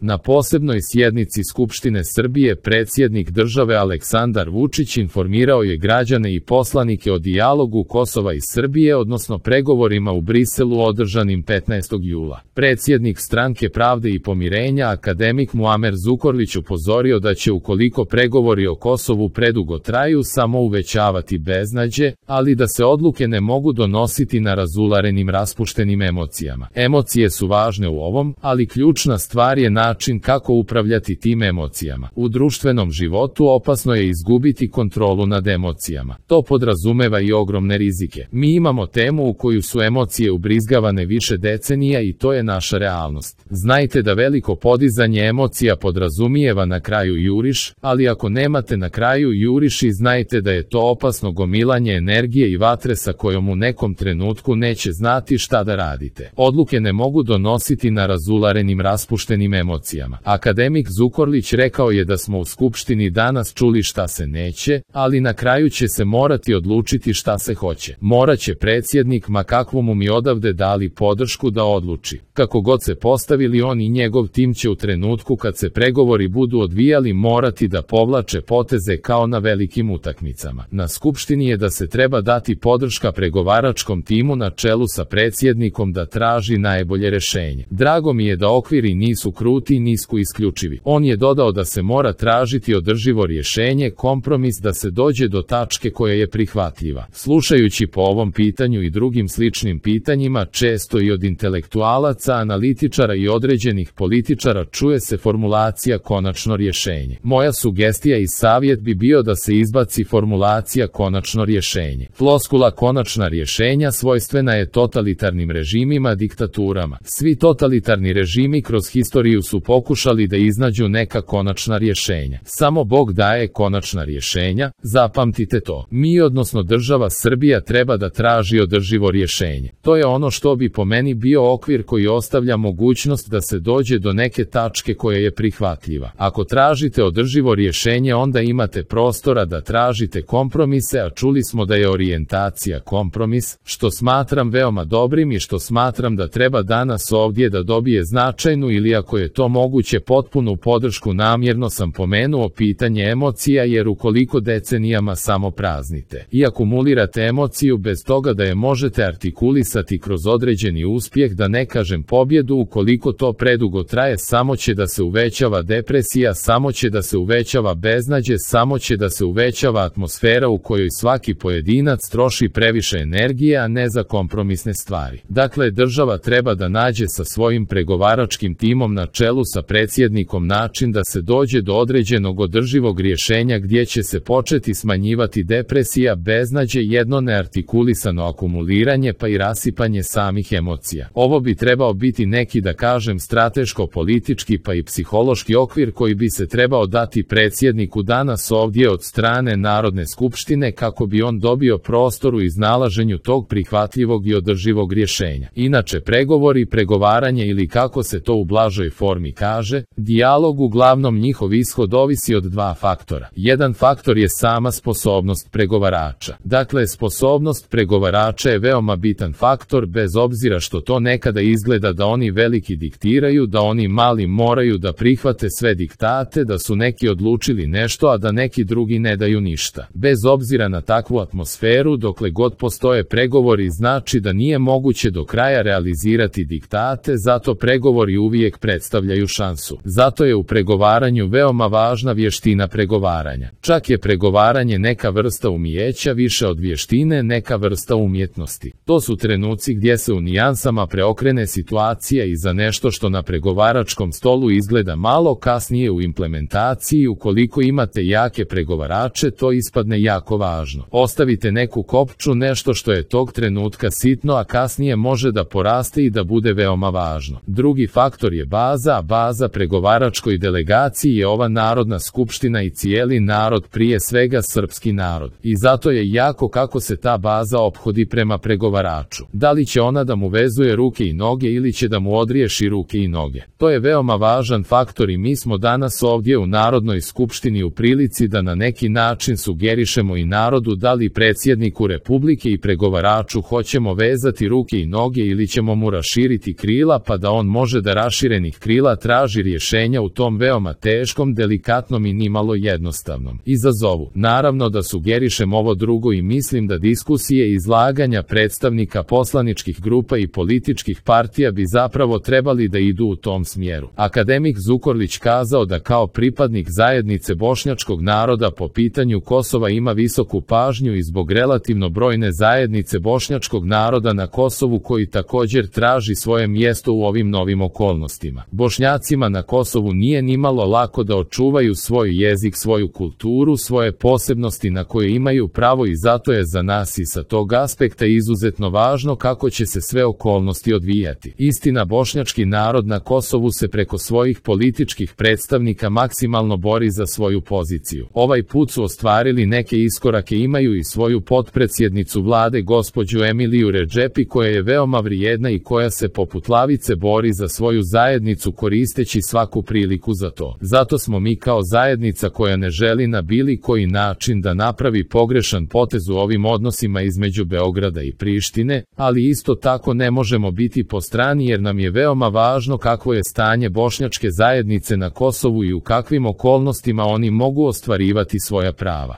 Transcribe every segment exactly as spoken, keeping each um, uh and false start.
Na posebnoj sjednici Skupštine Srbije predsjednik države Aleksandar Vučić informirao je građane i poslanike o dijalogu Kosova i Srbije, odnosno pregovorima u Briselu održanim petnaestog jula. Predsjednik Stranke pravde i pomirenja akademik Muamer Zukorlić upozorio da će, ukoliko pregovori o Kosovu predugo traju, samo uvećavati beznađe, ali da se odluke ne mogu donositi na razularenim raspuštenim emocijama. Emocije su važne u ovom, ali ključna stvar je način kako upravljati tim emocijama. U društvenom životu opasno je izgubiti kontrolu nad emocijama. To podrazumeva i ogromne rizike. Mi imamo temu u koju su emocije ubrizgavane više decenija i to je naša realnost. Znajte da veliko podizanje emocija podrazumijeva na kraju juriš, ali ako nemate na kraju juriš, i znajte da je to opasno gomilanje energije i vatre sa kojom u nekom trenutku neće znati šta da radite. Odluke ne mogu donositi na razularenim raspuštenim emocijama. Akademik Zukorlić rekao je da smo u Skupštini danas čuli šta se neće, ali na kraju će se morati odlučiti šta se hoće. Moraće predsjednik, ma kakvu mu mi odavde dali podršku, da odluči. Kako god se postavili, on i njegov tim će u trenutku kad se pregovori budu odvijali morati da povlače poteze kao na velikim utakmicama. Na Skupštini je da se treba dati podrška pregovaračkom timu na čelu sa predsjednikom da traži najbolje rešenje. Drago mi je da okviri nisu kruti i nisko isključivi. On je dodao da se mora tražiti održivo rješenje, kompromis, da se dođe do tačke koja je prihvatljiva. Slušajući po ovom pitanju i drugim sličnim pitanjima, često i od intelektualaca, analitičara i određenih političara čuje se formulacija konačno rješenje. Moja sugestija i savjet bi bio da se izbaci formulacija konačno rješenje. Floskula konačna rješenja svojstvena je totalitarnim režimima, diktaturama. Svi totalitarni režimi kroz historiju su pokušali da iznađu neka konačna rješenja. Samo Bog daje konačna rješenja, zapamtite to. Mi, odnosno država Srbija, treba da traži održivo rješenje. To je ono što bi po meni bio okvir koji ostavlja mogućnost da se dođe do neke tačke koja je prihvatljiva. Ako tražite održivo rješenje, onda imate prostora da tražite kompromise, a čuli smo da je orijentacija kompromis, što smatram veoma dobrim i što smatram da treba danas ovdje da dobije značajnu, ili ako je to moguće potpunu podršku. Namjerno sam pomenuo pitanje emocija, jer ukoliko decenijama samo praznite i akumulirate emociju bez toga da je možete artikulisati kroz određeni uspjeh, da ne kažem pobjedu, ukoliko to predugo traje, samo će da se uvećava depresija, samo će da se uvećava beznađe, samo će da se uvećava atmosfera u kojoj svaki pojedinac troši previše energije, a ne za kompromisne stvari. Dakle, država treba da nađe sa svojim pregovaračkim timom na čelu sa predsjednikom način da se dođe do određenog održivog rješenja gdje će se početi smanjivati depresija, beznađe, jedno neartikulisano akumuliranje pa i rasipanje samih emocija. Ovo bi trebao biti neki, da kažem, strateško-politički pa i psihološki okvir koji bi se trebao dati predsjedniku danas ovdje od strane Narodne skupštine, kako bi on dobio prostor u iznalaženju tog prihvatljivog i održivog rješenja. Inače, pregovori, pregovaranje, ili kako se to u blažoj formi kaže, dijalog, uglavnom njihov ishod ovisi od dva faktora. Jedan faktor je sama sposobnost pregovarača. Dakle, sposobnost pregovarača je veoma bitan faktor, bez obzira što to nekada izgleda da oni veliki diktiraju, da oni mali moraju da prihvate sve diktate, da su neki odlučili nešto, a da neki drugi ne daju ništa. Bez obzira na takvu atmosferu, dokle god postoje pregovori, znači da nije moguće do kraja realizirati diktate, zato pregovori uvijek predstavljaju šansu. Zato je u pregovaranju veoma važna vještina pregovaranja. Čak je pregovaranje neka vrsta umijeća, više od vještine neka vrsta umjetnosti. To su trenuci gdje se u nijansama preokrene situacija i za nešto što na pregovaračkom stolu izgleda malo, kasnije u implementaciji, ukoliko imate jake pregovarače, to ispadne jako važno. Ostavite neku kopču, nešto što je tog trenutka sitno, a kasnije može da poraste i da bude veoma važno. Drugi faktor je baza, a baza pregovaračkoj delegaciji je ova Narodna skupština i cijeli narod, prije svega srpski narod. I zato je jako kako se ta baza ophodi prema pregovaraču. Da li će ona da mu vezuje ruke i noge ili će da mu odriješi ruke i noge? To je veoma važan faktor i mi smo danas ovdje u Narodnoj skupštini u prilici da na neki način sugerišemo i narodu, da li predsjedniku Republike i pregovaraču hoćemo vezati ruke i noge ili ćemo mu raširiti krila pa da on može da raširenih krila sila traži rješenja u tom veoma teškom, delikatnom i nimalo jednostavnom izazovu. Naravno da sugerišem ovo drugo i mislim da diskusije i izlaganja predstavnika poslaničkih grupa i političkih partija bi zapravo trebali da idu u tom smjeru. Akademik Zukorlić kazao da kao pripadnik zajednice bošnjačkog naroda po pitanju Kosova ima visoku pažnju i zbog relativno brojne zajednice bošnjačkog naroda na Kosovu koji također traži svoje mjesto u ovim novim okolnostima. Bošnjacima na Kosovu nije nimalo lako da očuvaju svoj jezik, svoju kulturu, svoje posebnosti na koje imaju pravo i zato je za nas i sa tog aspekta izuzetno važno kako će se sve okolnosti odvijati. Istina, bošnjački narod na Kosovu se preko svojih političkih predstavnika maksimalno bori za svoju poziciju. Ovaj put su ostvarili neke iskorake, imaju i svoju potpredsjednicu vlade gospođu Emiliju Redžepi koja je veoma vrijedna i koja se poput lavice bori za svoju zajednicu koristeći svaku priliku za to. Zato smo mi kao zajednica koja ne želi na bilo koji način da napravi pogrešan potez u ovim odnosima između Beograda i Prištine, ali isto tako ne možemo biti po strani jer nam je veoma važno kakvo je stanje bošnjačke zajednice na Kosovu i u kakvim okolnostima oni mogu ostvarivati svoja prava.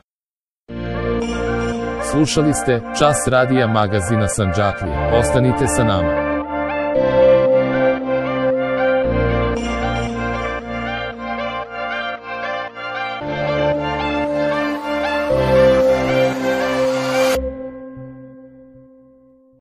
Slušali ste Čas radija magazina Sandžaklija. Ostanite sa nama.